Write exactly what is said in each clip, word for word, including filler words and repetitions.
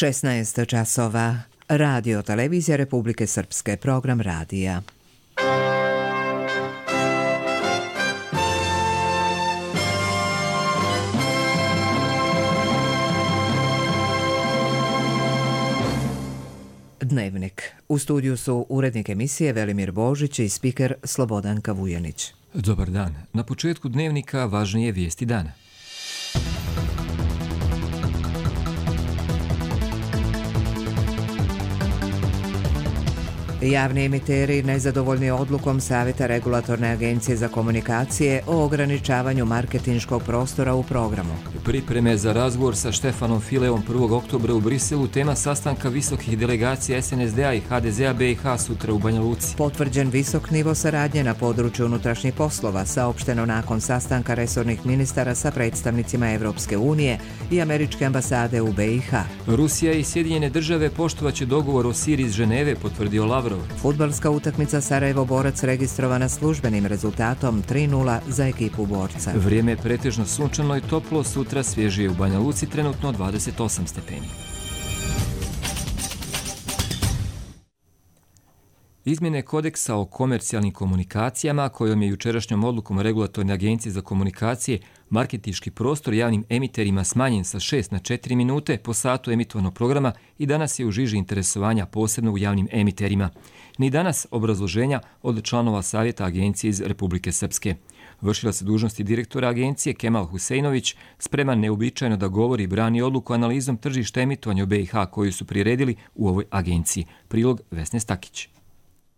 šesnaest časova. Radio Televizija Republike Srpske, program radija. Dnevnik. U studiju su urednik emisije Velimir Božić i spiker Slobodanka Vujanić. Dobar dan. Na početku dnevnika važnije vijesti dana. Javni emiteri nezadovoljni odlukom Savjeta Regulatorne agencije za komunikacije o ograničavanju marketinškog prostora u programu. Pripreme za razgovor sa Štefanom Fileom prvog oktobra u Briselu, tema sastanka visokih delegacija es en es de a i ha de ze a be i ha sutra u Banja Luci. Potvrđen visok nivo saradnje na području unutrašnjih poslova, saopšteno nakon sastanka resornih ministara sa predstavnicima Evropske unije i Američke ambasade u be i ha. Rusija i Sjedinjene države poštovaće dogovor o Siriji iz Ženeve, potvrdio Lavrov. Fudbalska utakmica Sarajevo-Borac registrovana službenim rezultatom tri nula za ekipu Borca. Vrijeme je pretežno sunčano i toplo, sutra svježije u Banja Luci, trenutno dvadeset osam stepeni. Izmjene kodeksa o komercijalnim komunikacijama, kojom je jučerašnjom odlukom Regulatorne agencije za komunikacije marketinški prostor javnim emiterima smanjen sa šest na četiri minute po satu emitovanog programa i danas je u žiži interesovanja posebno u javnim emiterima. Ni danas obrazloženja od članova Savjeta agencije iz Republike Srpske. Vršila se dužnosti direktora agencije Kemal Huseinović, spreman neuobičajeno da govori i brani odluku analizom tržišta emitovanja u be i ha koju su priredili u ovoj agenciji. Prilog Vesne Stakić.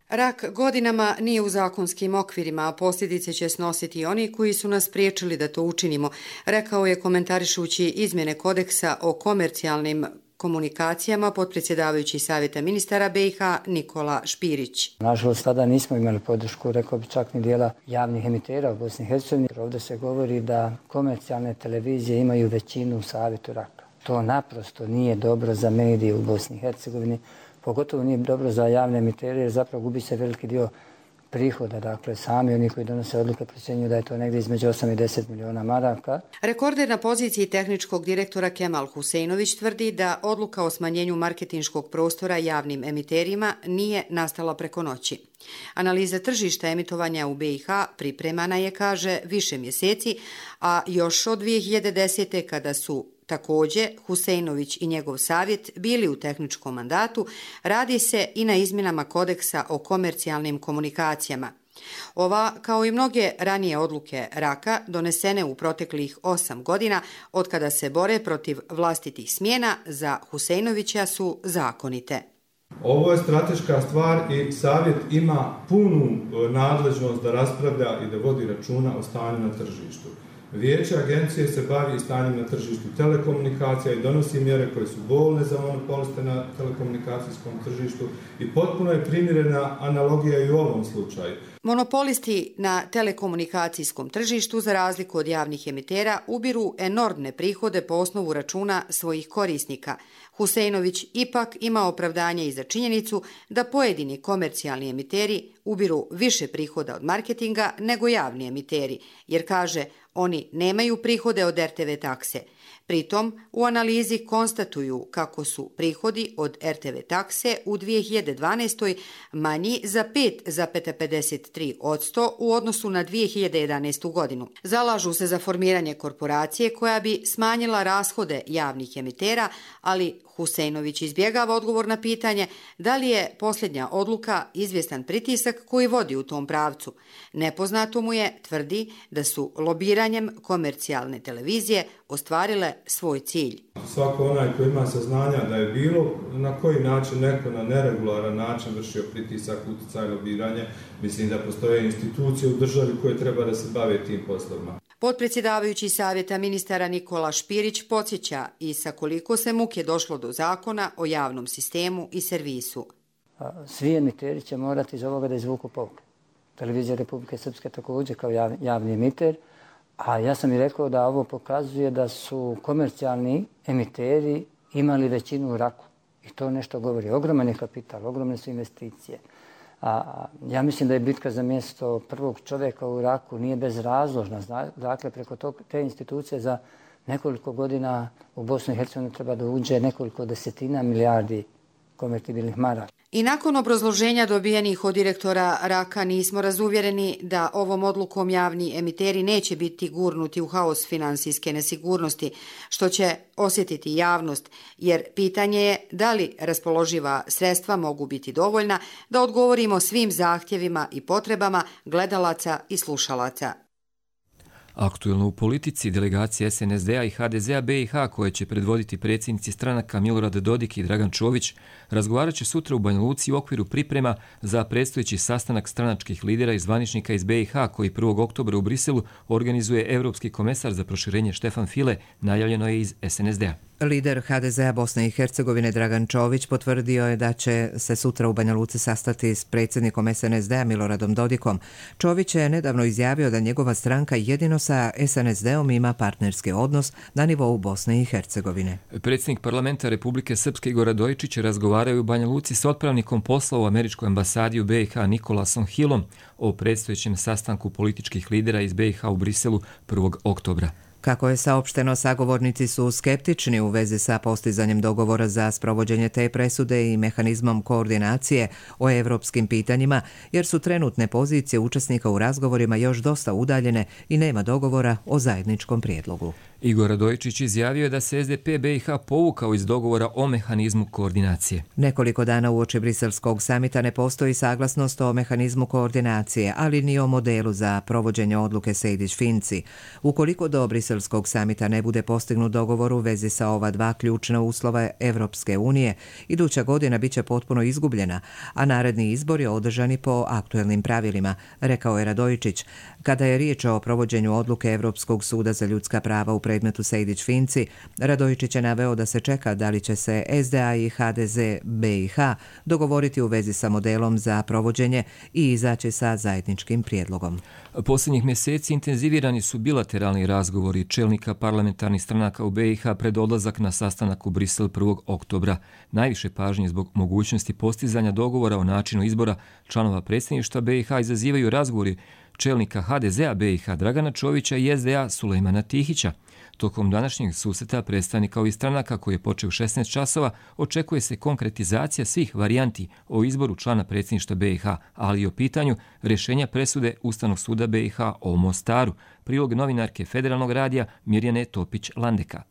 Rak godinama nije u zakonskim okvirima, a posljedice će snositi oni koji su nas priječili da to učinimo, rekao je komentarišući izmjene kodeksa o komercijalnim komunikacijama potpredsjedavajući Savjeta ministara be i ha Nikola Špirić. Nažalost, tada nismo imali podršku, rekao bi čak ni dijela javnih emitera u Bosni i Hercegovini. Ovdje se govori da komercijalne televizije imaju većinu u Savjetu raka. To naprosto nije dobro za medije u Bosni i Hercegovini. Pogotovo nije dobro za javne emitere jer zapravo gubi se veliki dio prihoda. Dakle, sami oni koji donose odluke procjenjuju da je to negdje između osam i deset miliona maraka. Rekorder na poziciji tehničkog direktora Kemal Huseinović tvrdi da odluka o smanjenju marketinškog prostora javnim emiterima nije nastala preko noći. Analiza tržišta emitovanja u be i ha pripremana je, kaže, više mjeseci, a još od dvije hiljade desete kada su također Huseinović i njegov savjet bili u tehničkom mandatu, radi se i na izmjenama kodeksa o komercijalnim komunikacijama. Ova, kao i mnoge ranije odluke raka, donesene u proteklih osam godina, od kada se bore protiv vlastitih smjena, za Huseinovića su zakonite. Ovo je strateška stvar i savjet ima punu nadležnost da raspravlja i da vodi računa o stanju na tržištu. Vijeće agencije se bavi stanjem na tržištu telekomunikacija i donosi mjere koje su bolne za monopoliste na telekomunikacijskom tržištu i potpuno je primjerena analogija i u ovom slučaju. Monopolisti na telekomunikacijskom tržištu, za razliku od javnih emitera, ubiru enormne prihode po osnovu računa svojih korisnika. Huseinović ipak ima opravdanje i za činjenicu da pojedini komercijalni emiteri ubiru više prihoda od marketinga nego javni emiteri, jer, kaže, oni nemaju prihode od er te ve takse. Pritom, u analizi konstatuju kako su prihodi od er te ve takse u dvije hiljade dvanaestoj. manji za pet zarez pedeset tri posto u odnosu na dvije hiljade jedanaestu. godinu. Zalažu se za formiranje korporacije koja bi smanjila rashode javnih emitera, ali Huseinović izbjegava odgovor na pitanje da li je posljednja odluka izvjestan pritisak koji vodi u tom pravcu. Nepoznato mu je, tvrdi, da su lobiranjem komercijalne televizije ostvarile svoj cilj. Svako onaj koji ima saznanja da je bilo na koji način neko na neregularan način vršio pritisak, utjecaj, lobiranje, mislim da postoje institucije u državi koje treba da se bave tim poslovima. Potpredsjedavajući Savjeta ministara Nikola Špirić podsjeća i sa koliko se muke došlo do zakona o javnom sistemu i servisu. Svi emiteri će morati iz ovoga da izvuku pouke. Televizija Republike Srpske također kao javni emiter, a ja sam i rekao da ovo pokazuje da su komercijalni emiteri imali većinu u raku. I to nešto govori. Ogroman je kapital, ogromne su investicije. A ja mislim da je bitka za mjesto prvog čovjeka u Iraku nije bezrazložna. Dakle, preko tog, te institucije za nekoliko godina u Bosnu i Hercegovinu treba da uđe nekoliko desetina milijardi konvertibilnih maraka. I nakon obrazloženja dobijenih od direktora Raka nismo razuvjereni da ovom odlukom javni emiteri neće biti gurnuti u haos finansijske nesigurnosti, što će osjetiti javnost, jer pitanje je da li raspoloživa sredstva mogu biti dovoljna da odgovorimo svim zahtjevima i potrebama gledalaca i slušalaca. Aktuelno u politici delegacije S N S D-a i H D Z-a B i H koje će predvoditi predsjednici stranaka Milorad Dodik i Dragan Čović razgovarat će sutra u Banja Luci u okviru priprema za predstojeći sastanak stranačkih lidera i zvaničnika iz B i H koji prvog oktobra u Briselu organizuje Europski komesar za proširenje Štefan File, najavljeno je iz S N S D-a. Lider H D Z-a Bosne i Hercegovine Dragan Čović potvrdio je da će se sutra u Banja Luci sastati s predsjednikom S N S D-a Miloradom Dodikom. Čović je nedavno izjavio da njegova stranka jedino sa S N S D-om ima partnerski odnos na nivou Bosne i Hercegovine. Predsjednik parlamenta Republike Srpske Igor Radojičić razgovaraju u Banja Luci s otpravnikom posla u američkoj ambasadi u B i H Nikolasom Hillom o predstojećem sastanku političkih lidera iz B i H u Briselu prvog oktobra. Kako je saopšteno, sagovornici su skeptični u vezi sa postizanjem dogovora za sprovođenje te presude i mehanizmom koordinacije o evropskim pitanjima, jer su trenutne pozicije učesnika u razgovorima još dosta udaljene i nema dogovora o zajedničkom prijedlogu. Igor Radojičić izjavio je da se S D P B i H povukao iz dogovora o mehanizmu koordinacije. Nekoliko dana uoči briselskog samita ne postoji saglasnost o mehanizmu koordinacije, ali ni o modelu za provođenje odluke Sejdić-Finci. Ukoliko do briselskog samita ne bude postignut dogovor u vezi sa ova dva ključna uslova Evropske unije, iduća godina biće potpuno izgubljena, a naredni izbori održani po aktuelnim pravilima, rekao je Radojičić. Kada je riječ o provođenju odluke Evropskog suda za ljudska prava u predmetu Sejdić-Finci, Radojičić je naveo da se čeka da li će se S D A i H D Z B i H dogovoriti u vezi sa modelom za provođenje i izaći sa zajedničkim prijedlogom. Posljednjih mjeseci intenzivirani su bilateralni razgovori čelnika parlamentarnih stranaka u B i H pred odlazak na sastanak u Brisel prvog oktobra. Najviše pažnje zbog mogućnosti postizanja dogovora o načinu izbora članova predsjedništva B i H izazivaju razgovori čelnika H D Z-a B i H Dragana Čovića i S D A Sulejmana Tihića. Tokom današnjeg susreta predstavnika ovih stranaka koji je počeo u šesnaest časova očekuje se konkretizacija svih varijanti o izboru člana predsjedništva B i H, ali i o pitanju rješenja presude Ustavnog suda B i H o Mostaru. Prilog novinarke Federalnog radija Mirjane Topić-Landeka.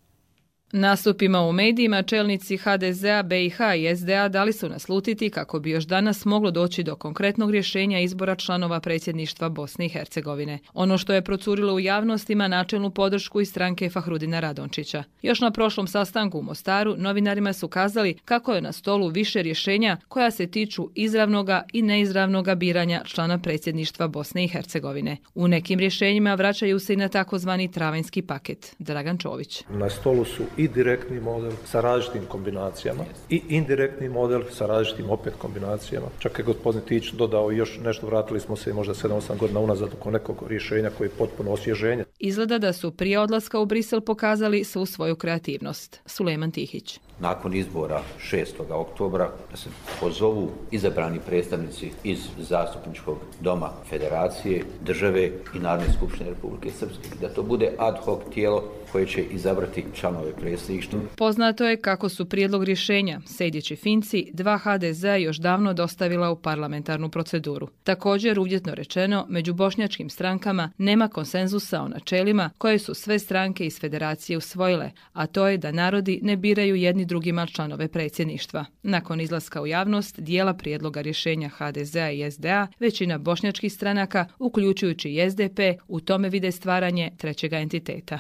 Nastupima u medijima čelnici H D Z-a, B i H i S D A dali su naslutiti kako bi još danas moglo doći do konkretnog rješenja izbora članova predsjedništva Bosne i Hercegovine. Ono što je procurilo u javnost ima načelnu podršku iz stranke Fahrudina Radončića. Još na prošlom sastanku u Mostaru novinarima su kazali kako je na stolu više rješenja koja se tiču izravnoga i neizravnoga biranja člana predsjedništva Bosne i Hercegovine. U nekim rješenjima vraćaju se i na takozvani travanjski paket. Dragan Čović. Na stolu su i direktni model sa različitim kombinacijama i indirektni model sa različitim opet kombinacijama. Čak je gospodin Tić dodao još nešto, vratili smo se možda sedam osam godina unazad oko nekog rješenja koje je potpuno osvježenje. Izgleda da su prije odlaska u Brisel pokazali svu svoju kreativnost. Sulejman Tihić. Nakon izbora šestog oktobra da se pozovu izabrani predstavnici iz Zastupničkog doma Federacije, države i Narodne skupštine Republike Srpske. Da to bude ad hoc tijelo koje će izabrati članove predsjedništva. Poznato je kako su prijedlog rješenja Sejdić-Finci dva H D Z-a još davno dostavila u parlamentarnu proceduru. Također, uvjetno rečeno, među bošnjačkim strankama nema konsenzusa o načelima koje su sve stranke iz Federacije usvojile, a to je da narodi ne biraju jedni drugima članove predsjedništva. Nakon izlaska u javnost dijela prijedloga rješenja H D Z-a i S D A, većina bošnjačkih stranaka, uključujući i S D P, u tome vide stvaranje trećega entiteta.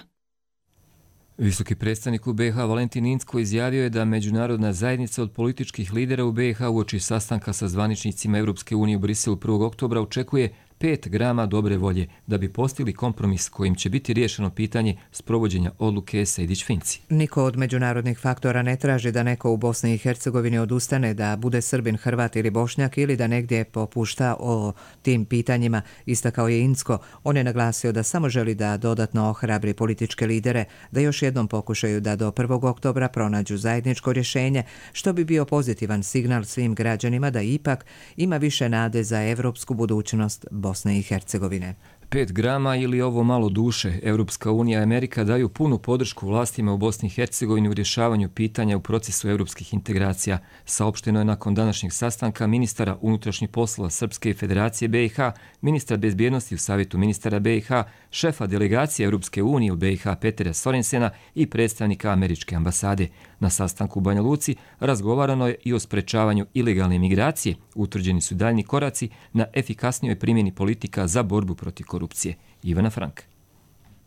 Visoki predstavnik u B i H Valentin Incko izjavio je da međunarodna zajednica od političkih lidera u B i H uoči sastanka sa zvaničnicima Evropske unije u Briselu prvog oktobra očekuje pet grama dobre volje da bi postigli kompromis kojim će biti riješeno pitanje sprovođenja odluke Sejdić-Finci. Niko od međunarodnih faktora ne traži da neko u Bosni i Hercegovini odustane da bude Srbin, Hrvat ili Bošnjak ili da negdje popušta o tim pitanjima, istakao je Incko. On je naglasio da samo želi da dodatno ohrabri političke lidere da još jednom pokušaju da do prvog oktobra pronađu zajedničko rješenje, što bi bio pozitivan signal svim građanima da ipak ima više nade za evropsku budućnost Bosne i Hercegovine. Pet grama ili ovo malo duše, Europska unija i Amerika daju punu podršku vlastima u Bosni i Hercegovini u rješavanju pitanja u procesu europskih integracija. Saopšteno je nakon današnjeg sastanka ministara unutrašnjih poslova Srpske federacije B i H, ministra bezbjednosti u Savjetu ministara B i H, šefa delegacije Europske unije u B i H Petera Sorensena i predstavnika američke ambasade. Na sastanku u Banja Luci razgovarano je i o sprečavanju ilegalne migracije. Utvrđeni su daljni koraci na efikasnijoj primjeni politika za borbu protiv korupcije. Ivana Frank.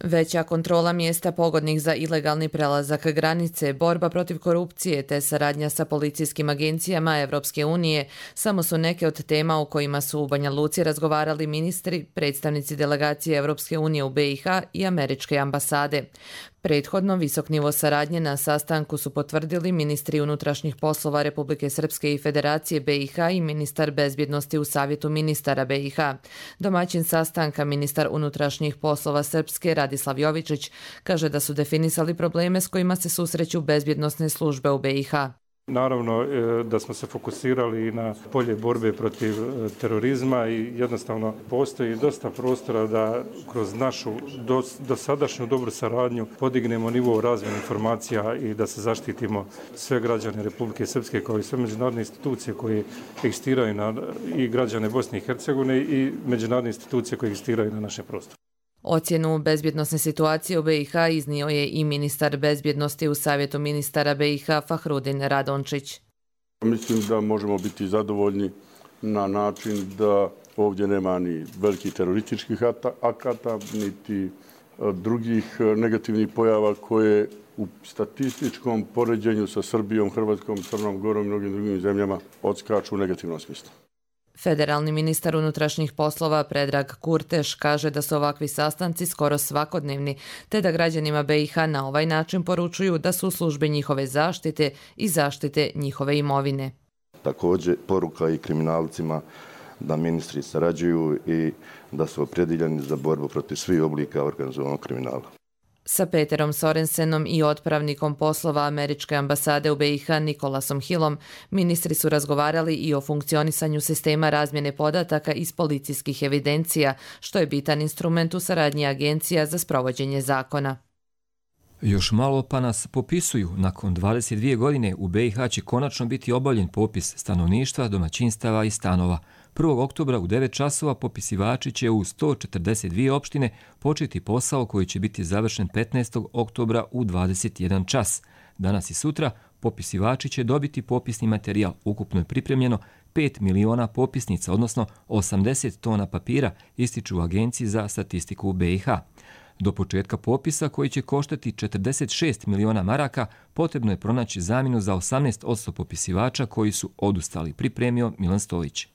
Veća kontrola mjesta pogodnih za ilegalni prelazak granice, borba protiv korupcije te saradnja sa policijskim agencijama Evropske unije samo su neke od tema o kojima su u Banja Luci razgovarali ministri, predstavnici delegacije Evropske unije u B i H i američke ambasade. Prethodno visok nivo saradnje na sastanku su potvrdili ministri unutrašnjih poslova Republike Srpske i Federacije B i H i ministar bezbjednosti u Savjetu ministara B i H. Domaćin sastanka, ministar unutrašnjih poslova Srpske Radislav Jovičić, kaže da su definisali probleme s kojima se susreću bezbjednosne službe u B i H. Naravno da smo se fokusirali na polje borbe protiv terorizma i jednostavno postoji dosta prostora da kroz našu dosadašnju dobru saradnju podignemo nivo razmjene informacija i da se zaštitimo sve građane Republike Srpske kao i sve međunarodne institucije koje egzistiraju na i građane Bosne i Hercegovine i međunarodne institucije koje egzistiraju na našem prostoru. Ocjenu bezbjednosne situacije u B i H iznio je i ministar bezbjednosti u Savjetu ministara B i H Fahrudin Radončić. Mislim da možemo biti zadovoljni na način da ovdje nema ni velikih terorističkih akata, niti drugih negativnih pojava koje u statističkom poređenju sa Srbijom, Hrvatskom, Crnom Gorom i mnogim drugim zemljama odskaču u negativnom smislu. Federalni ministar unutrašnjih poslova Predrag Kurteš kaže da su ovakvi sastanci skoro svakodnevni, te da građanima B i H na ovaj način poručuju da su u službi njihove zaštite i zaštite njihove imovine. Također poruka i kriminalcima da ministri sarađuju i da su opredjeljeni za borbu protiv svih oblika organizovanog kriminala. Sa Peterom Sorensenom i otpravnikom poslova američke ambasade u B i H Nikolasom Hillom ministri su razgovarali i o funkcionisanju sistema razmjene podataka iz policijskih evidencija, što je bitan instrument u saradnji agencija za sprovođenje zakona. Još malo pa nas popisuju. Nakon dvadeset dvije godine u B i H će konačno biti obavljen popis stanovništva, domaćinstava i stanova. prvog oktobra u devet časova popisivači će u sto četrdeset dvije opštine početi posao koji će biti završen petnaestog oktobra u dvadeset jedan čas. Danas i sutra popisivači će dobiti popisni materijal. Ukupno je pripremljeno pet miliona popisnica, odnosno osamdeset tona papira, ističu u Agenciji za statistiku u B i H. Do početka popisa, koji će koštati četrdeset šest miliona maraka, potrebno je pronaći zamjenu za osamnaest posto popisivača koji su odustali, pripremio Milan Stojić.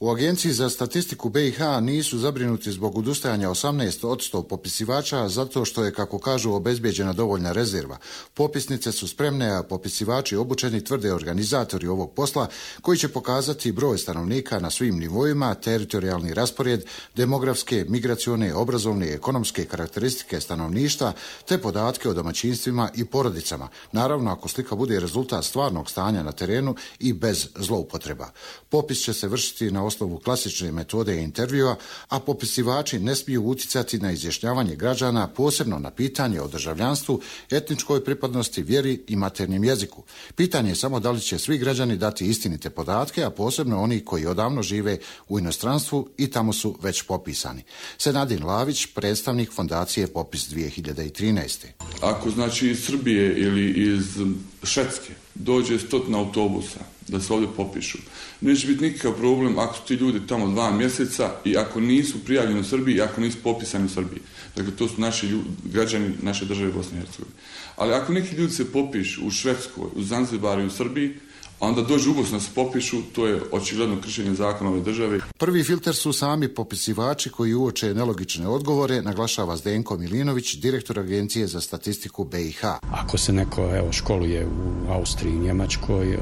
U Agenciji za statistiku B i H nisu zabrinuti zbog odustajanja osamnaest posto popisivača zato što je, kako kažu, obezbijeđena dovoljna rezerva. Popisnice su spremne, a popisivači obučeni, tvrde organizatori ovog posla, koji će pokazati broj stanovnika na svim nivoima, teritorijalni raspored, demografske, migracione, obrazovne i ekonomske karakteristike stanovništva, te podatke o domaćinstvima i porodicama. Naravno, ako slika bude rezultat stvarnog stanja na terenu i bez zloupotreba. Popis će se vršiti na osnovu klasične metode intervjua, a popisivači ne smiju uticati na izjašnjavanje građana, posebno na pitanje o državljanstvu, etničkoj pripadnosti, vjeri i maternjem jeziku. Pitanje je samo da li će svi građani dati istinite podatke, a posebno oni koji odavno žive u inostranstvu i tamo su već popisani. Senadin Lavić, predstavnik fondacije Popis dvije hiljade trinaeste. Ako znači iz Srbije ili iz Švedske dođe stotina autobusa da se ovdje popišu, neće biti nikakav problem ako su ti ljudi tamo dva mjeseca i ako nisu prijavljeni u Srbiji i ako nisu popisani u Srbiji. Dakle, to su naši ljudi, građani naše države Bosne i Hercegovine. Ali ako neki ljudi se popišu u Švedskoj, u Zanzibaru i u Srbiji, a onda dođu u Bosnu da se popišu, to je očigledno kršenje zakona ove države. Prvi filter su sami popisivači koji uoče nelogične odgovore, naglašava Zdenko Milinović, direktor Agencije za statistiku B i H. Ako se neko evo, školuje u Austriji, Njemačkoj,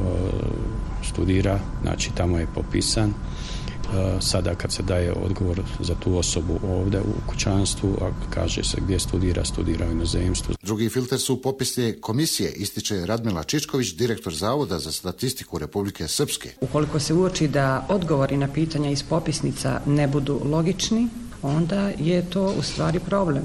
studira, znači tamo je popisan. Sada kad se daje odgovor za tu osobu ovdje u kućanstvu, a kaže se gdje studira, studira u inozemstvu. Drugi filter su popisne komisije, ističe Radmila Čičković, direktor Zavoda za statistiku Republike Srpske. Ukoliko se uoči da odgovori na pitanja iz popisnica ne budu logični, onda je to u stvari problem.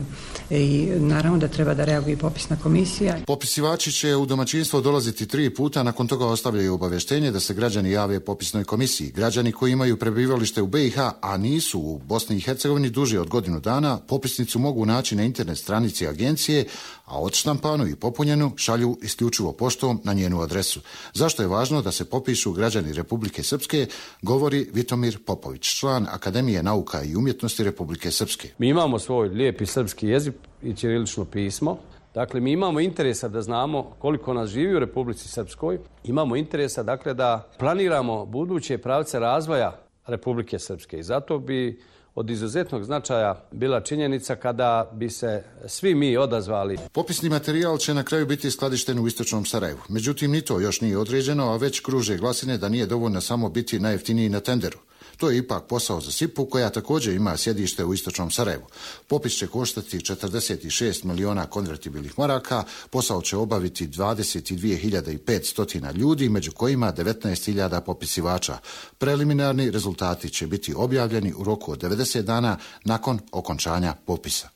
I naravno da treba da reaguje popisna komisija. Popisivači će u domaćinstvo dolaziti tri puta, nakon toga ostavljaju obavještenje da se građani jave popisnoj komisiji. Građani koji imaju prebivalište u B i H, a nisu u Bosni i Hercegovini duže od godinu dana, popisnicu mogu naći na internet stranici agencije, a odštampanu i popunjenu šalju isključivo poštom na njenu adresu. Zašto je važno da se popišu građani Republike Srpske, govori Vitomir Popović, član Akademije nauka i umjetnosti Republike Srpske. Mi imamo svoj lijepi srpski jezik i ćirilično pismo. Dakle, mi imamo interesa da znamo koliko nas živi u Republici Srpskoj. Imamo interesa, dakle, da planiramo buduće pravce razvoja Republike Srpske. I zato bi od izuzetnog značaja bila činjenica kada bi se svi mi odazvali. Popisni materijal će na kraju biti skladišten u istočnom Sarajevu. Međutim, ni to još nije određeno, a već kruže glasine da nije dovoljno samo biti najjeftiniji na tenderu. To je ipak posao za S I P U, koja također ima sjedište u istočnom Sarajevu. Popis će koštati četrdeset šest miliona konvertibilnih maraka, posao će obaviti dvadeset dvije hiljade petsto ljudi, među kojima devetnaest hiljada popisivača. Preliminarni rezultati će biti objavljeni u roku od devedeset dana nakon okončanja popisa.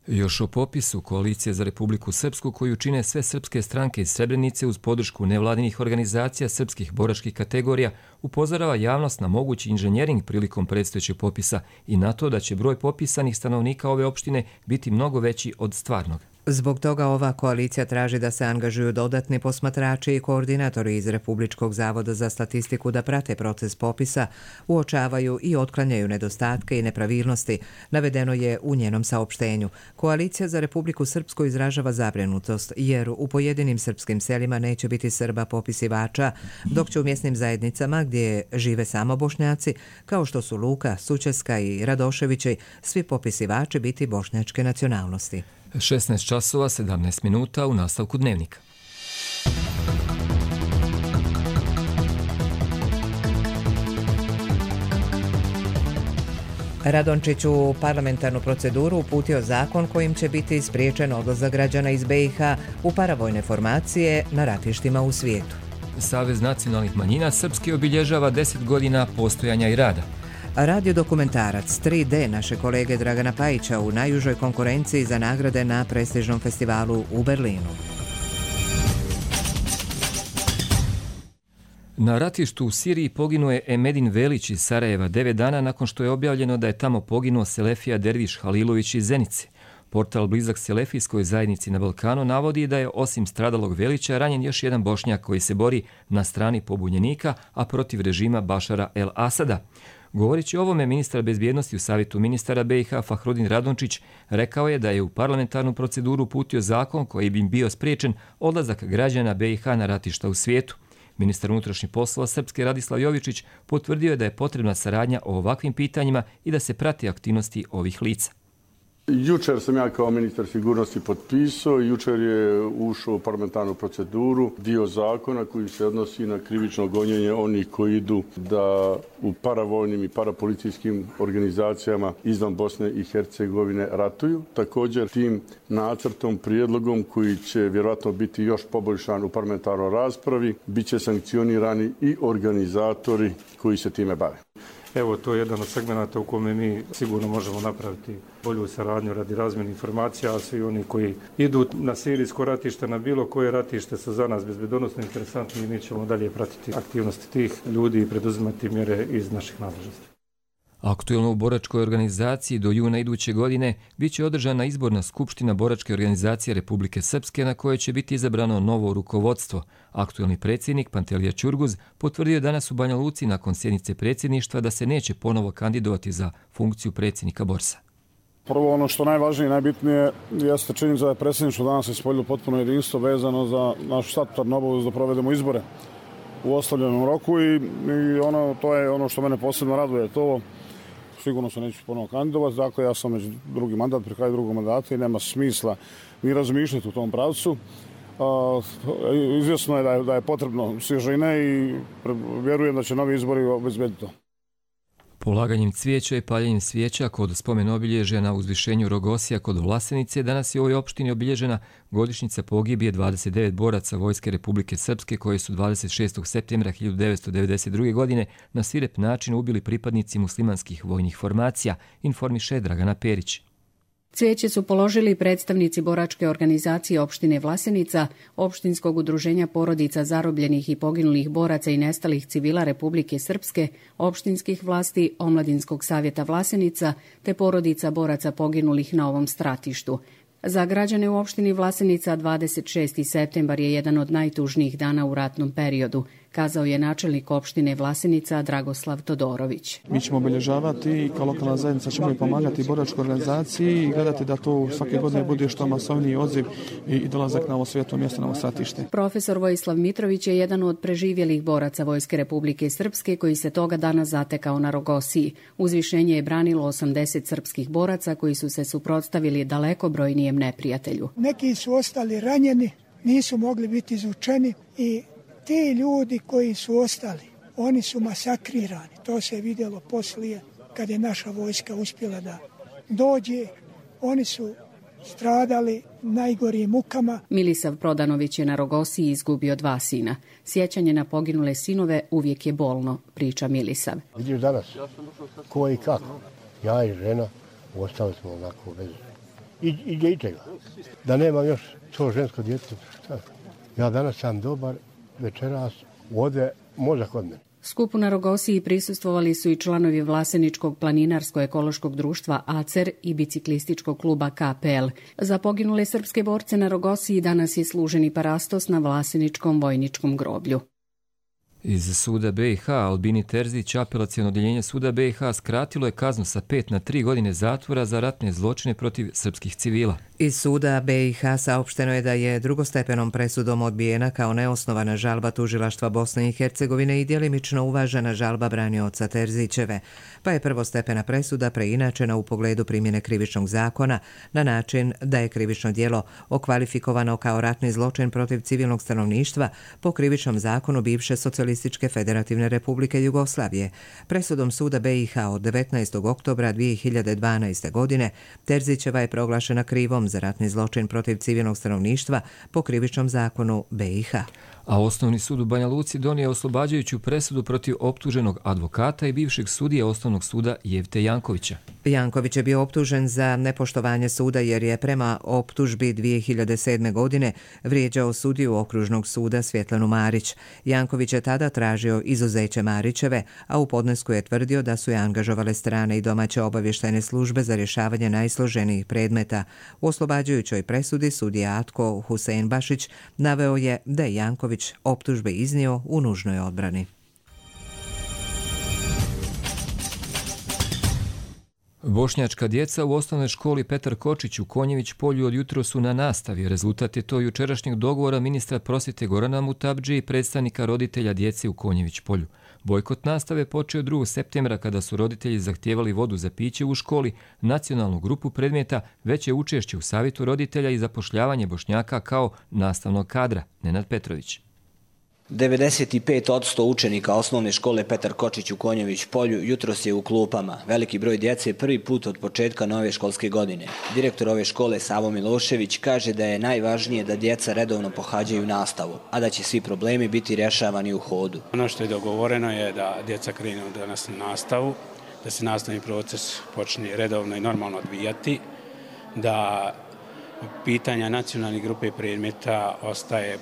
Još o popisu Koalicije za Republiku Srpsku, koju čine sve srpske stranke iz Srebrenice uz podršku nevladinih organizacija srpskih boračkih kategorija, upozorava javnost na mogući inženjering prilikom predstojećeg popisa i na to da će broj popisanih stanovnika ove opštine biti mnogo veći od stvarnog. Zbog toga ova koalicija traži da se angažuju dodatni posmatrači i koordinatori iz Republičkog zavoda za statistiku da prate proces popisa, uočavaju i otklanjaju nedostatke i nepravilnosti, navedeno je u njenom saopštenju. Koalicija za Republiku Srpsku izražava zabrinutost jer u pojedinim srpskim selima neće biti Srba popisivača, dok će u mjesnim zajednicama gdje žive samo Bošnjaci, kao što su Luka, Sućeska i Radoševići, svi popisivači biti bošnjačke nacionalnosti. šesnaest časova sedamnaest minuta u nastavku dnevnika. Radončić u parlamentarnu proceduru uputio zakon kojim će biti spriječen odlazak građana iz B i H u paravojne formacije na ratištima u svijetu. Savez nacionalnih manjina Srpske obilježava deset godina postojanja i rada. Radio dokumentarac tri D naše kolege Dragana Pajića u najužoj konkurenciji za nagrade na prestižnom festivalu u Berlinu. Na ratištu u Siriji poginuo je Emedin Velić iz Sarajeva devet dana nakon što je objavljeno da je tamo poginuo Selefija Derviš Halilović iz Zenice. Portal blizak Selefijskoj zajednici na Balkanu navodi da je osim stradalog Velića ranjen još jedan Bošnjak koji se bori na strani pobunjenika, a protiv režima Bašara el Asada. Govorići o ovome, ministar bezbjednosti u Savjetu ministara B i H Fahrudin Radončić rekao je da je u parlamentarnu proceduru uputio zakon koji bi bio spriječen odlazak građana B i H na ratišta u svijetu. Ministar unutrašnjih poslova Srpske Radislav Jovičić potvrdio je da je potrebna saradnja o ovakvim pitanjima i da se prati aktivnosti ovih lica. Jučer sam ja kao ministar sigurnosti potpisao, jučer je ušao u parlamentarnu proceduru dio zakona koji se odnosi na krivično gonjenje onih koji idu da u paravojnim i parapolicijskim organizacijama izvan Bosne i Hercegovine ratuju. Također tim nacrtom, prijedlogom koji će vjerojatno biti još poboljšan u parlamentarnoj raspravi, bit će sankcionirani i organizatori koji se time bave. Evo, to je jedan od segmenata u kome mi sigurno možemo napraviti bolju saradnju radi razmjene informacija, a svi oni koji idu na sirijsko ratište, na bilo koje ratište su za nas bezbednosno interesantni i mi ćemo dalje pratiti aktivnosti tih ljudi i preduzimati mjere iz naših nadležnosti. Aktuelno u boračkoj organizaciji do juna iduće godine bit će održana izborna skupština boračke organizacije Republike Srpske na kojoj će biti izabrano novo rukovodstvo. Aktuelni predsjednik Pantelija Ćurguz potvrdio danas u Banja Luci nakon sjednice predsjedništva da se neće ponovo kandidovati za funkciju predsjednika Borsa. Prvo, ono što najvažnije i najbitnije jeste činjenica da je predsjedništvo danas ispoljilo potpuno jedinstvo vezano za našu statutarnu obavezu da provedemo izbore. u ostavljenom roku i, i ono, to je ono što mene posebno raduje. To sigurno se neću ponovno kandidovati, dakle ja sam već drugi mandat, pri kraju drugog mandata i nema smisla ni razmišljati u tom pravcu. A, izvjesno je da, je da je potrebno svježine i vjerujem da će novi izbori obezbediti to. Polaganjem cvijeća i paljenjem svijeća kod spomen obilježja na uzvišenju Rogosija kod Vlasenice danas je u ovoj opštini obilježena godišnjica pogibije dvadeset devet boraca Vojske Republike Srpske koji su dvadeset šestog septembra hiljadu devetsto devedeset druge. godine na svirep način ubili pripadnici muslimanskih vojnih formacija, informiše Dragana Perić. Cvijeće su položili predstavnici boračke organizacije opštine Vlasenica, opštinskog udruženja porodica zarobljenih i poginulih boraca i nestalih civila Republike Srpske, opštinskih vlasti, Omladinskog savjeta Vlasenica te porodica boraca poginulih na ovom stratištu. Za građane u opštini Vlasenica dvadeset šesti septembar je jedan od najtužnijih dana u ratnom periodu, kazao je načelnik opštine Vlasenica Dragoslav Todorović. Mi ćemo obilježavati i kao lokalna zajednica ćemo i pomagati boračkoj organizaciji i gledati da to svake godine bude što masovniji odziv i dolazak na ovo svijetlo mjesto, na ovo stratište. Profesor Vojislav Mitrović je jedan od preživjelih boraca Vojske Republike Srpske koji se toga dana zatekao na Rogosiji. Uzvišenje je branilo osamdeset srpskih boraca koji su se suprotstavili daleko brojnijem neprijatelju. Neki su ostali ranjeni, nisu mogli biti izvučeni i ti ljudi koji su ostali, oni su masakrirani. To se je vidjelo poslije kad je naša vojska uspjela da dođe. Oni su stradali najgorijim mukama. Milisav Prodanović je na Rogosiji izgubio dva sina. Sjećanje na poginule sinove uvijek je bolno, priča Milisav. Vidiš danas ko i kako. Ja i žena ostali smo onako bez i, i dječega. Da nemam još to žensko djece. Šta? Ja danas sam dobar, večeras ode mozak od mene. Skupu na Rogosiji prisustvovali su i članovi Vlaseničkog planinarsko-ekološkog društva A C E R i biciklističkog kluba K P L. Za poginule srpske borce na Rogosiji danas je služeni parastos na Vlaseničkom vojničkom groblju. Iz suda B i H Albini Terzić, apelaciono odjeljenje suda B i H skratilo je kaznu sa pet na tri godine zatvora za ratne zločine protiv srpskih civila. Iz suda B i H saopšteno je da je drugostepenom presudom odbijena kao neosnovana žalba tužilaštva Bosne i Hercegovine i djelimično uvažena žalba branioca Terzićeve, pa je prvostepena presuda preinačena u pogledu primjene krivičnog zakona na način da je krivično djelo okvalifikovano kao ratni zločin protiv civilnog stanovništva po krivičnom zakonu bivše Socijalističke federativne republike Jugoslavije. Presudom suda B i H od devetnaestog oktobra dvije hiljade dvanaeste. godine Terzićeva je proglašena krivom za ratni zločin protiv civilnog stanovništva po krivičnom zakonu B i H. A Osnovni sud u Banja Luci donio oslobađajuću presudu protiv optuženog advokata i bivšeg sudije Osnovnog suda Jevte Jankovića. Janković je bio optužen za nepoštovanje suda jer je prema optužbi dvije hiljade sedme. godine vrijeđao sudiju Okružnog suda Svjetlanu Marić. Janković je tada tražio izuzeće Marićeve, a u podnesku je tvrdio da su je angažovale strane i domaće obavještajne službe za rješavanje najsloženijih predmeta. U oslobađajućoj presudi sudija Atko Husein Bašić naveo je da je Janković optužbe iznio u nužnoj odbrani. Bošnjačka djeca u osnovnoj školi Petar Kočić u Konjević polju od jutro su na nastavi. Rezultat je to jučerašnjeg dogovora ministra prosvjete Gorana Mutabdži i predstavnika roditelja djece u Konjević polju. Bojkot nastave počeo drugog septembra kada su roditelji zahtijevali vodu za piće u školi, nacionalnu grupu predmeta, veće učešće u savjetu roditelja i zapošljavanje Bošnjaka kao nastavnog kadra. Nenad Petrović. devedeset pet posto učenika osnovne škole Petar Kočić u Konjević polju jutros je u klupama. Veliki broj djece prvi put od početka nove školske godine. Direktor ove škole Savo Milošević kaže da je najvažnije da djeca redovno pohađaju nastavu, a da će svi problemi biti rješavani u hodu. Ono što je dogovoreno je da djeca krenu danas na nastavu, da se nastavni proces počne redovno i normalno odvijati, da pitanja nacionalne grupe predmeta ostaje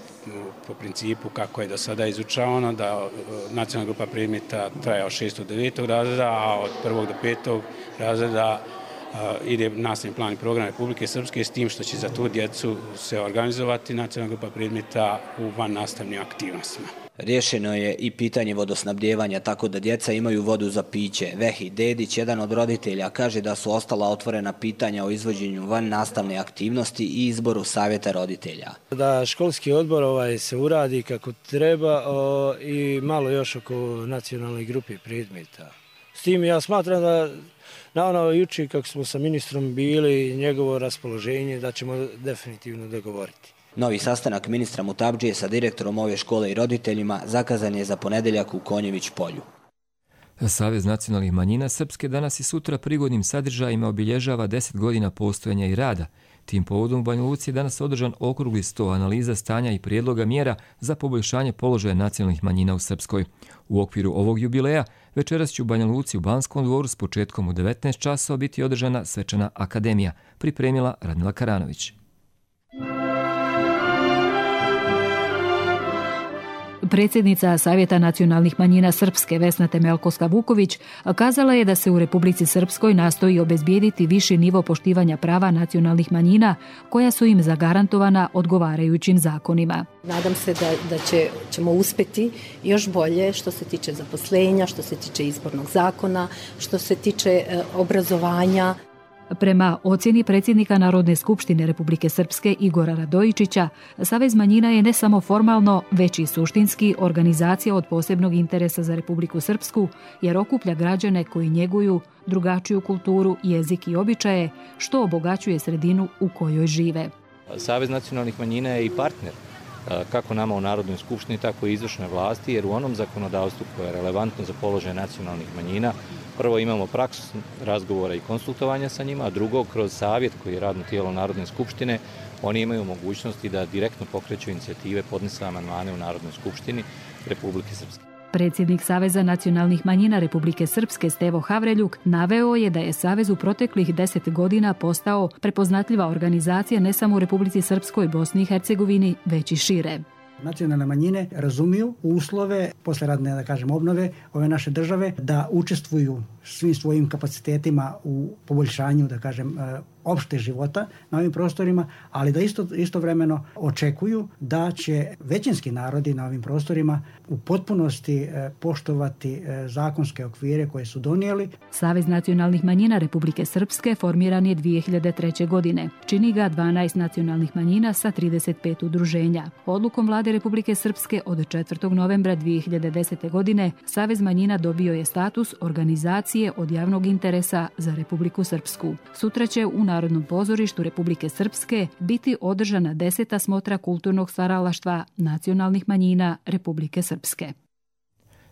po principu kako je do sada izučavano, da nacionalna grupa predmeta traje od šestog do devetog razreda, a od prvog do petog razreda ide nastavni plan i program Republike Srpske s tim što će za tu djecu se organizovati nacionalna grupa predmeta u van nastavnim aktivnostima. Riješeno je i pitanje vodosnabdijevanja tako da djeca imaju vodu za piće. Vehi Dedić, jedan od roditelja, kaže da su ostala otvorena pitanja o izvođenju van nastavne aktivnosti i izboru savjeta roditelja. Da školski odbor ovaj, se uradi kako treba o, i malo još oko nacionalne grupe predmeta. S tim ja smatram da na ono juče kako smo sa ministrom bili, njegovo raspoloženje da ćemo definitivno dogovoriti. Novi sastanak ministra Mutabdžije sa direktorom ove škole i roditeljima zakazan je za ponedjeljak u Konjević polju. Savez nacionalnih manjina Srpske danas i sutra prigodnim sadržajima obilježava deset godina postojanja i rada. Tim povodom u Banja Luci je danas održan okrugli sto analiza stanja i prijedloga mjera za poboljšanje položaja nacionalnih manjina u Srpskoj. U okviru ovog jubileja večeras će u Banja Luci u Banskom dvoru s početkom u devetnaest časova biti održana svečana akademija, pripremila Radmila Karanović. Predsjednica Savjeta nacionalnih manjina Srpske Vesna Temelkovska-Vuković kazala je da se u Republici Srpskoj nastoji obezbijediti viši nivo poštivanja prava nacionalnih manjina koja su im zagarantovana odgovarajućim zakonima. Nadam se da, da će, ćemo uspjeti još bolje što se tiče zaposlenja, što se tiče izbornog zakona, što se tiče e, obrazovanja. Prema ocjeni predsjednika Narodne skupštine Republike Srpske Igora Radojičića, Savez manjina je ne samo formalno, već i suštinski organizacija od posebnog interesa za Republiku Srpsku, jer okuplja građane koji njeguju drugačiju kulturu, jezik i običaje, što obogaćuje sredinu u kojoj žive. Savez nacionalnih manjina je i partner kako nama u Narodnoj skupštini, tako i izvršnoj vlasti, jer u onom zakonodavstvu koje je relevantno za položaj nacionalnih manjina, prvo imamo praksu razgovora i konsultovanja sa njima, a drugo, kroz savjet koji je radno tijelo Narodne skupštine, oni imaju mogućnosti da direktno pokreću inicijative, podnese amandmane u Narodnoj skupštini Republike Srpske. Predsjednik Saveza nacionalnih manjina Republike Srpske Stevo Havreljuk naveo je da je Savez u proteklih deset godina postao prepoznatljiva organizacija ne samo u Republici Srpskoj, Bosni i Hercegovini, već i šire. Nacionalne manjine razumiju uslove posleradne, da kažem, obnove ove naše države, da učestvuju svim svojim kapacitetima u poboljšanju, da kažem, opšte života na ovim prostorima, ali da isto, istovremeno očekuju da će većinski narodi na ovim prostorima u potpunosti poštovati zakonske okvire koje su donijeli. Savez nacionalnih manjina Republike Srpske formiran je dvije hiljade treće. godine. Čini ga dvanaest nacionalnih manjina sa trideset pet udruženja. Odlukom vlade Republike Srpske od četvrtog novembra dvije hiljade desete. godine Savez manjina dobio je status organizacije od javnog interesa za Republiku Srpsku. Sutra će u Narodnom pozorištu Republike Srpske biti održana deseta smotra kulturnog stvaralaštva nacionalnih manjina Republike Srpske.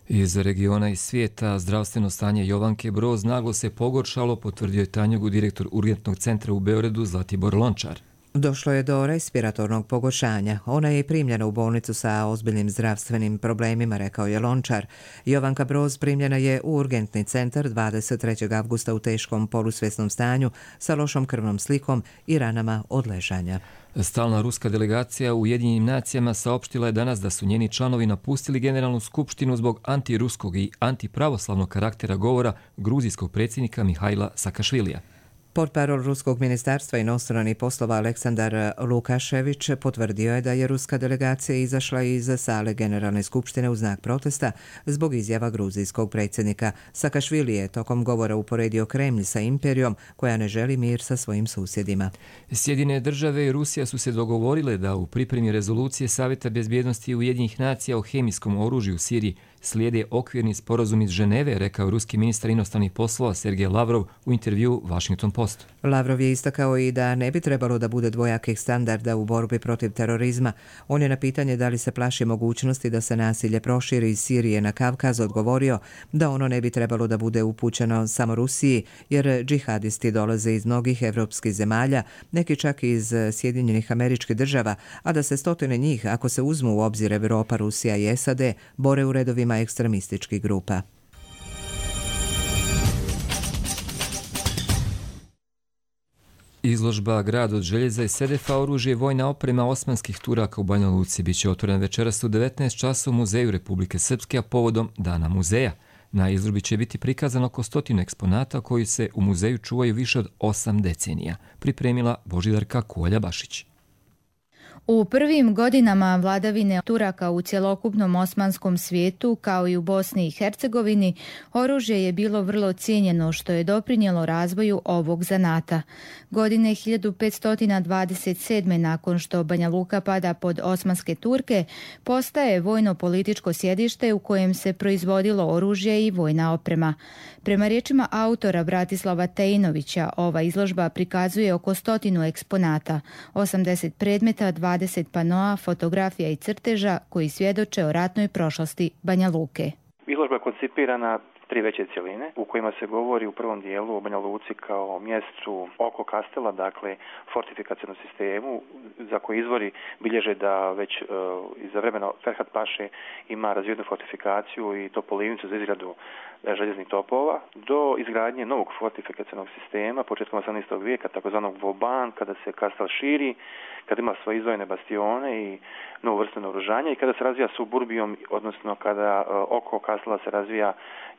Iz regiona i svijeta zdravstveno stanje Jovanke Broz naglo se pogoršalo, potvrdio je Tanjugu direktor Urgentnog centra u Beogradu Zlatibor Lončar. Došlo je do respiratornog pogoršanja. Ona je primljena u bolnicu sa ozbiljnim zdravstvenim problemima, rekao je Lončar. Jovanka Broz primljena je u urgentni centar dvadeset trećeg avgusta u teškom polusvjesnom stanju sa lošom krvnom slikom i ranama od ležanja. Stalna ruska delegacija u Ujedinjenim nacijama saopštila je danas da su njeni članovi napustili Generalnu skupštinu zbog antiruskog i antipravoslavnog karaktera govora gruzijskog predsjednika Mihajla Sakašvilija. Portparol Ruskog ministarstva inostranih poslova Aleksandar Lukašević potvrdio je da je ruska delegacija izašla iz sale Generalne skupštine u znak protesta zbog izjava gruzijskog predsjednika. Sakašvili je tokom govora uporedio Kremlj sa imperijom koja ne želi mir sa svojim susjedima. Sjedine države i Rusija su se dogovorile da u pripremi rezolucije Savjeta bezbjednosti Ujedinjenih nacija o hemijskom oružju u Siriji slijede okvirni sporazum iz Ženeve, rekao ruski ministar inostranih poslova Sergej Lavrov u intervju Washington Post. Lavrov je istakao i da ne bi trebalo da bude dvojakih standarda u borbi protiv terorizma. On je na pitanje da li se plaši mogućnosti da se nasilje proširi iz Sirije na Kavkaz odgovorio da ono ne bi trebalo da bude upućeno samo Rusiji, jer džihadisti dolaze iz mnogih evropskih zemalja, neki čak iz Sjedinjenih Američkih Država, a da se stotine njih, ako se uzmu u obzir Evropa, Rusija i S A D, bore u redovima ekstremističkih grupa. Izložba Grad od željeza i sedefa, oružje i vojna oprema osmanskih Turaka u Banja Luci biće otvorena večeras u devetnaest časova u Muzeju Republike Srpske, a povodom Dana muzeja. Na izložbi će biti prikazano oko stotinu eksponata koji se u muzeju čuvaju više od osam decenija, pripremila Božidarka Kolja Bašić. U prvim godinama vladavine Turaka u cjelokupnom osmanskom svijetu, kao i u Bosni i Hercegovini, oružje je bilo vrlo cijenjeno, što je doprinijelo razvoju ovog zanata. Godine hiljadu petsto dvadeset sedme nakon što Banja Luka pada pod osmanske Turke, postaje vojno-političko sjedište u kojem se proizvodilo oružje i vojna oprema. Prema riječima autora Bratislava Tejnovića, ova izložba prikazuje oko stotinu eksponata, osamdeset predmeta, dvadeset panoa, fotografija i crteža koji svjedoče o ratnoj prošlosti Banja Luke. Izložba je koncipirana tri veće cjeline u kojima se govori u prvom dijelu o Banja Luci kao mjestu oko Kastela, dakle fortifikacijnom sistemu za koji izvori bilježe da već uh, iza vremena Ferhat Paše ima razvijenu fortifikaciju i topolivnicu za izradu željeznih topova, do izgradnje novog fortifikacijnog sistema početkom osamnaestog vijeka, takozvanog Voban, kada se Kastel širi, kada ima svoje izdvojene bastione i novu vrstu naoružanja i kada se razvija suburbijom, odnosno kada uh, oko Kastela se razvija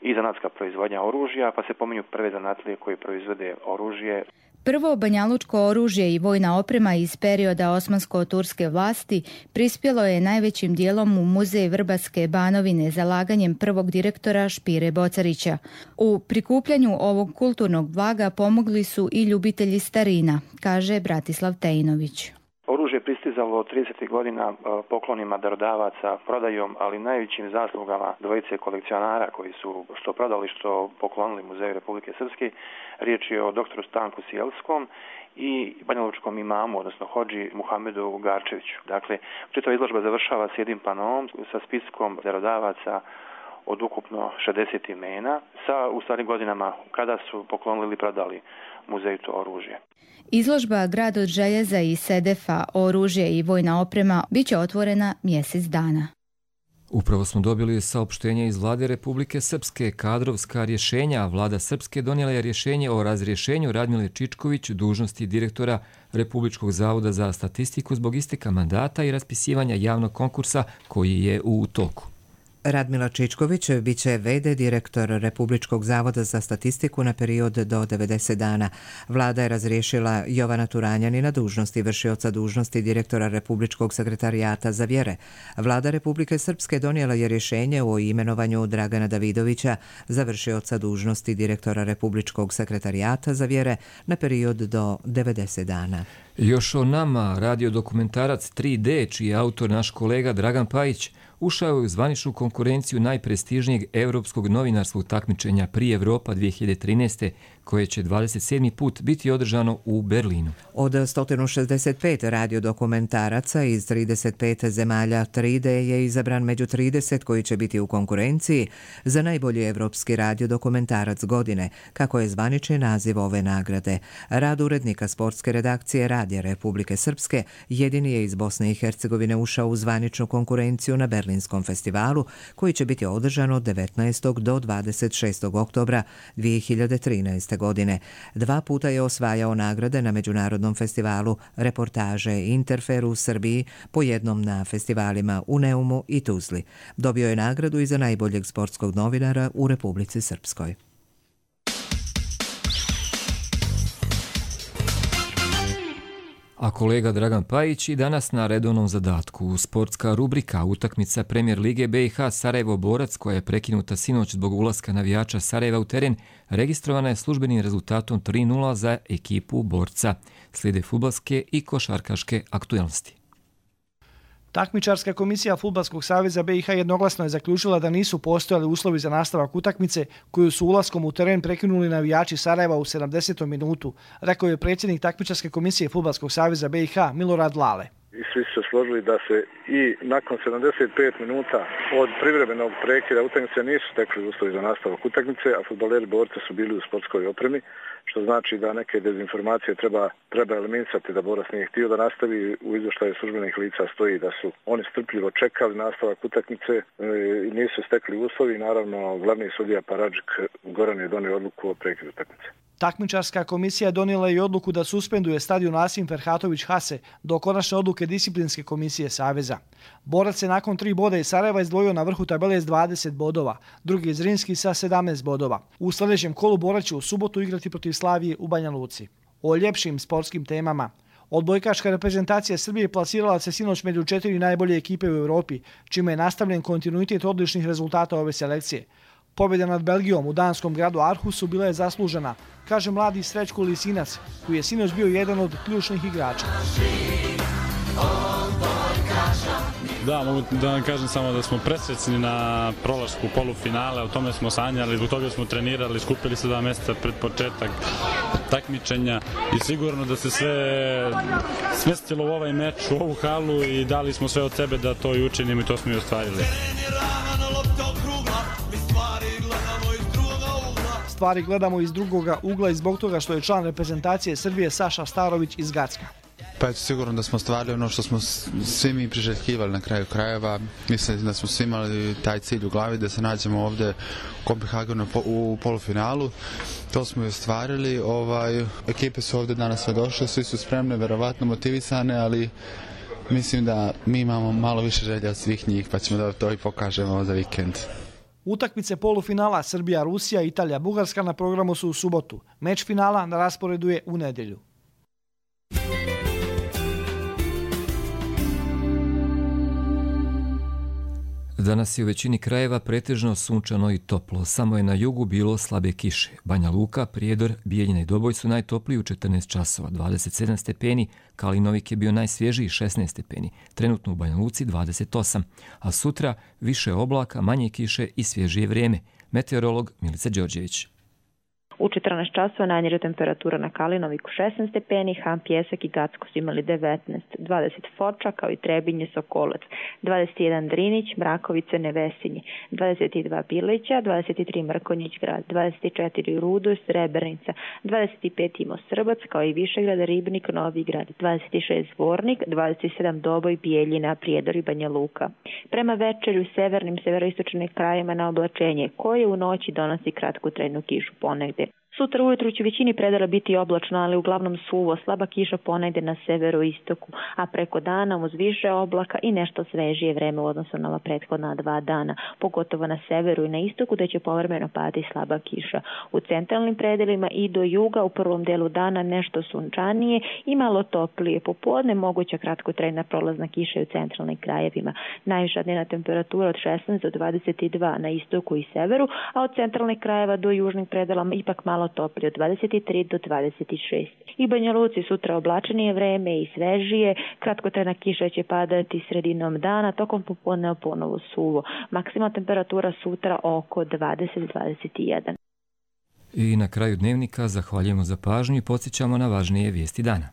i zanatska proizvodnja oružja, pa se pominju prve zanatlije koji proizvode oružje. Prvo banjalučko oružje i vojna oprema iz perioda osmansko-turske vlasti prispjelo je najvećim dijelom u muzej Vrbatske Banovine zalaganjem prvog direktora Špire Bocarića. U prikupljanju ovog kulturnog blaga pomogli su i ljubitelji starina, kaže Bratislav Tejnović. Oružje je pristizalo tridesetih godina poklonima darodavaca, prodajom, ali najvećim zaslugama dvojice kolekcionara koji su što prodali, što poklonili Muzeju Republike Srpske. Riječ je o doktoru Stanku Sjelskom i banjalučkom imamu, odnosno hodži Muhamedu Garčeviću. Dakle, čitava izložba završava s jednim panom sa spiskom darodavaca od ukupno šezdeset imena sa u starim godinama kada su poklonili ili prodali muzeju to oružje. Izložba Grad od željeza i sedefa, oružje i vojna oprema bit će otvorena mjesec dana. Upravo smo dobili saopštenje iz Vlade Republike Srpske, kadrovska rješenja. Vlada Srpske donijela je rješenje o razrješenju Radmile Čičković dužnosti direktora Republičkog zavoda za statistiku zbog isteka mandata i raspisivanja javnog konkursa koji je u toku. Radmila Čičković bit će ve de direktor Republičkog zavoda za statistiku na period do devedeset dana. Vlada je razriješila Jovana Turanjani na dužnosti vršioca dužnosti direktora Republičkog sekretarijata za vjere. Vlada Republike Srpske donijela je rješenje o imenovanju Dragana Davidovića za vršioca dužnosti direktora Republičkog sekretarijata za vjere na period do devedeset dana. Još o nama, radiodokumentarac tri de, čiji je autor naš kolega Dragan Pajić, ušao je u zvaničnu konkurenciju najprestižnijeg europskog novinarskog takmičenja Pri Evropa dvije hiljade trinaeste, koje će dvadeset sedmi put biti održano u Berlinu. Od sto šezdeset pet radiodokumentaraca iz trideset pet zemalja tri de je izabran među trideset koji će biti u konkurenciji za najbolji evropski radiodokumentarac godine, kako je zvanični naziv ove nagrade. Rad urednika sportske redakcije Radija Republike Srpske jedini je iz Bosne i Hercegovine ušao u zvaničnu konkurenciju na Berlinskom festivalu, koji će biti održan od devetnaestog do dvadeset šestog oktobra dvije hiljade trinaeste. godine. Dva puta je osvajao nagrade na međunarodnom festivalu reportaže Interfer u Srbiji, po jednom na festivalima u Neumu i Tuzli. Dobio je nagradu i za najboljeg sportskog novinara u Republici Srpskoj. A kolega Dragan Pajić i danas na redovnom zadatku. Sportska rubrika utakmica Premier Lige be i ha Sarajevo-Borac, koja je prekinuta sinoć zbog ulaska navijača Sarajeva u teren, registrovana je službenim rezultatom tri nula za ekipu Borca. Slijede fudbalske i košarkaške aktualnosti. Takmičarska komisija Fudbalskog saveza be i ha jednoglasno je zaključila da nisu postojali uslovi za nastavak utakmice koju su ulaskom u teren prekinuli navijači Sarajeva u sedamdesetom minutu, rekao je predsjednik Takmičarske komisije Fudbalskog saveza be i ha Milorad Lale. I svi su se složili da se i nakon sedamdeset pet minuta od privremenog prekida utakmice nisu stekli uslovi za nastavak utakmice, a fudbaleri Borca su bili u sportskoj opremi, što znači da neke dezinformacije treba, treba eliminisati, da Borac nije htio da nastavi. U izvještaju službenih lica stoji da su oni strpljivo čekali nastavak utakmice i nisu stekli uslovi. Naravno, glavni sudija Paradžik Goran je donio odluku o prekidu utakmice. Takmičarska komisija donijela i odluku da suspenduje stadion Asim Ferhatović Hase do konačne odluke disciplinske komisije Saveza. Borac se nakon tri boda iz Sarajeva izdvojio na vrhu tabele s dvadeset bodova, drugi je Zrinski sa sedamnaest bodova. U sljedećem kolu Borac će u subotu igrati protiv Slavije u Banja Luci. O ljepšim sportskim temama. Odbojkaška reprezentacija Srbije plasirala se sinoć među četiri najbolje ekipe u Europi, čime je nastavljen kontinuitet odličnih rezultata ove selekcije. Pobjeda nad Belgijom u danskom gradu Aarhusu bila je zaslužena, kaže mladi Srećko Lisinac, koji je sinoć bio jedan od ključnih igrača. Da, mogu da vam kažem samo da smo presrećni na prolasku polufinale, o tome smo sanjali, zbog toga smo trenirali, skupili se dva mjeseca pred početak takmičenja i sigurno da se sve smestilo u ovaj meč, u ovu halu i dali smo sve od sebe da to i učinimo i to smo i ostvarili. Stvari gledamo iz drugoga ugla i zbog toga što je član reprezentacije Srbije Saša Starović iz Gacka. Pa eto, sigurno da smo ostvarili ono što smo svi mi priželjkivali na kraju krajeva. Mislim da smo svi imali taj cilj u glavi da se nađemo ovdje u Kopenhagenu u polufinalu. To smo i ostvarili. Ovaj, ekipe su ovdje danas sve došle, svi su spremne, verovatno motivisane, ali mislim da mi imamo malo više želja od svih njih, pa ćemo da to i pokažemo za vikend. Utakmice polufinala Srbija, Rusija, Italija, Bugarska na programu su u subotu. Meč finala na rasporedu je u nedjelju. Danas je u većini krajeva pretežno sunčano i toplo, samo je na jugu bilo slabe kiše. Banja Luka, Prijedor, Bijeljina i Doboj su najtopliji u četrnaest časova, dvadeset sedam stepeni, Kalinovik je bio najsvježiji šesnaest stepeni, trenutno u Banja Luci dvadeset osam, a sutra više oblaka, manje kiše i svježije vrijeme. Meteorolog Milica Đorđević. U četrnaest časova najniža temperatura na Kalinoviku šesnaest stepeni, Han, Pjesak i Gacko su imali devetnaest, dvadeset Foča kao i Trebinje, Sokolac, dvadeset jedan Drinić, Mrakovice, Nevesinje, dvadeset dva Bilića, dvadeset tri Mrkonjić grad, dvadeset četiri Rudo, Srebrnica, dvadeset pet Imo Srbac kao i Višegrad, Ribnik, Novi grad, dvadeset šest Zvornik, dvadeset sedam Doboj, Bijeljina, Prijedor i Banja Luka. Prema večerju severnim severoistočnim krajima na oblačenje koje u noći donosi kratku trajnu kišu ponegde. Sutra ujutru će većini predela biti oblačno, ali uglavnom suvo, slaba kiša ponegde na severoistoku, a preko dana uz više oblaka i nešto svežije vreme u odnosu na ova prethodna dva dana, pogotovo na severu i na istoku da će povremeno padati slaba kiša. U centralnim predelima i do juga u prvom delu dana nešto sunčanije i malo toplije. Popodne moguća kratkotrajna prolazna kiša u centralnim krajevima. Najviša dnevna temperatura od šesnaest do dvadeset dva na istoku i severu, a od centralnih krajeva do južnih predela ipak malo toplije od dvadeset tri do dvadeset šest. I Banja Luci sutra oblačenije vreme i svežije, kratkotrajna kiša će padati sredinom dana, tokom popodne ponovo suvo. Maksimalna temperatura sutra oko dvadeset do dvadeset jedan. I na kraju dnevnika zahvaljujemo za pažnju i podsjećamo na važnije vijesti dana.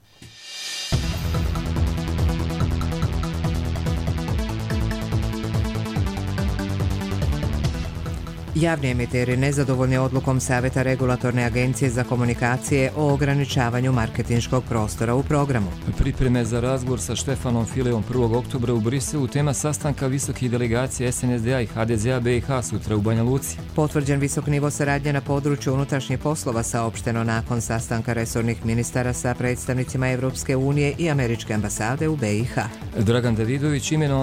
Javni emiteri nezadovoljni odlukom Savjeta Regulatorne agencije za komunikacije o ograničavanju marketinškog prostora u programu. Pripreme za razgovor sa Štefanom Fileom prvog oktobra u Briselu, tema sastanka visokih delegacija S N S D A i H D Z A B i H sutra u Banja Luci. Potvrđen visok nivo saradnje na području unutrašnjih poslova saopšteno nakon sastanka resornih ministara sa predstavnicima Evropske unije i Američke ambasade u B i H. Dragan Davidović imenovan